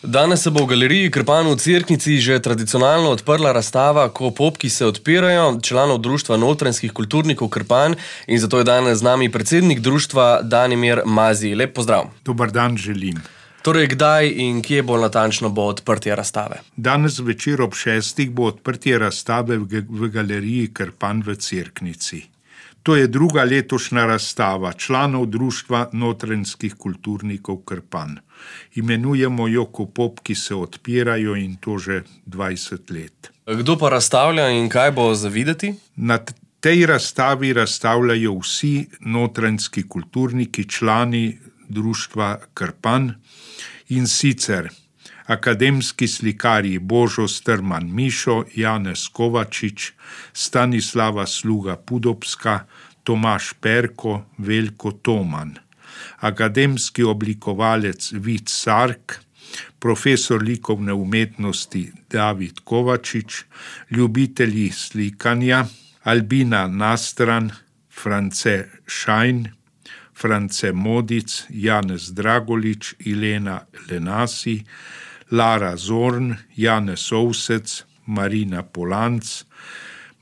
Danes se bo v galeriji Krpan v Cerknici že tradicionalno odprla razstava Ko popki se odpirajo, članov društva notranjskih kulturnikov Krpan, in zato je danes z nami predsednik društva Danimir Mazij. Lep pozdrav. Dober dan želim. Torej, kdaj in kje bolj natančno bo odprtje razstave? Danes večer ob 6. bo odprtje razstave v galeriji Krpan v Cerknici. To je druga letošnja razstava članov društva notranjskih kulturnikov Krpan. Imenujemo jo Ko popki se odpirajo, in to že 20 let. Kdo pa razstavlja in kaj bo za videti? Na tej razstavi razstavljajo vsi notranjski kulturniki, člani društva Krpan, in sicer akademski slikarji Božo Strman Mišo, Janez Kovačič, Stanislava Sluga Pudobska, Tomaž Perko, Veljko Toman, akademski oblikovalec Vid Sark, profesor likovne umetnosti David Kovačič, ljubitelji slikanja Albina Nastran, France Šajn, France Modic, Janez Dragolič, Ilena Lenasi, Lara Zorn, Janez Ovsec, Marina Polanc,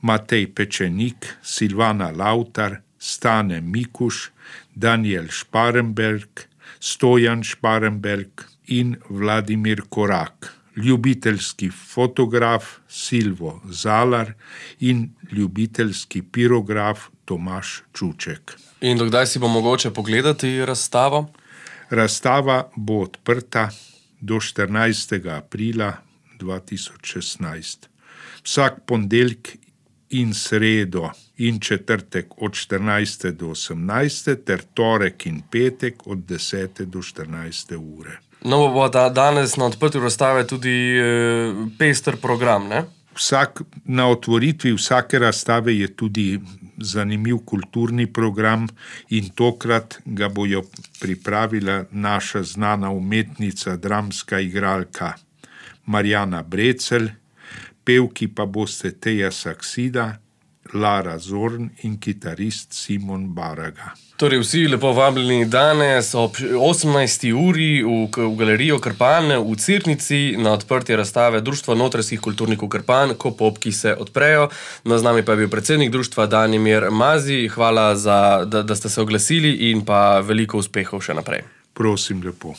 Matej Pečenik, Silvana Lavtar, Stane Mikuš, Daniel Šparenberg, Stojan Šparenberg in Vladimir Korak, ljubiteljski fotograf Silvo Zalar in ljubiteljski pirograf Tomaž Čuček. In dokdaj si bo mogoče pogledati razstavo? Razstava bo odprta do 14. aprila 2016. Vsak ponedeljek in sredo in četrtek od 14. do 18. ter torek in petek od 10. do 14. ure. No, bo danes na odprtju razstave tudi pester program, ne? Na otvoritvi vsake razstave je tudi zanimiv kulturni program, in tokrat ga bojo pripravila naša znana umetnica, dramska igralka Marjana Brecelj, pevki pa boste Teja Saksida, Lara Zorn in kitarist Simon Baraga. Torej, vsi lepo vabljeni danes ob 18. uri v galerijo Krpan v Cerknici na odprtje razstave Društva notranjskih kulturnikov Krpan, Ko popki se odprejo. Z nami pa je bil predsednik društva Danimir Mazij. Hvala, da ste se oglasili, in pa veliko uspehov še naprej. Prosim lepo.